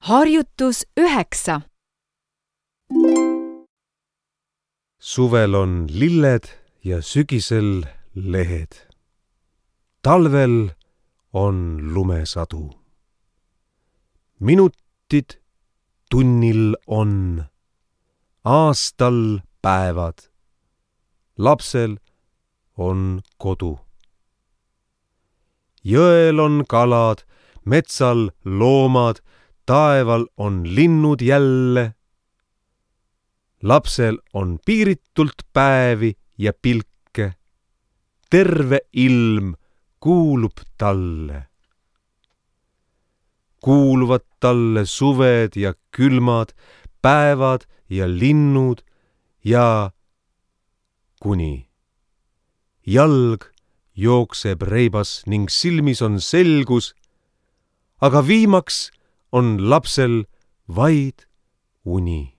Harjutus 9. Suvel on lilled ja sügisel lehed. Talvel on lumesadu. Minutid tunnil on, aastal päevad. Lapsel on kodu. Jõel on kalad, metsal loomad, taeval on linnud jälle. Lapsel on piiritult päevi ja pilke. Terve ilm kuulub talle. Kuuluvad talle suved ja külmad, päevad ja linnud ja kuni. Jalg jookseb reibas ning silmis on selgus, aga viimaks on lapsel vaid uni.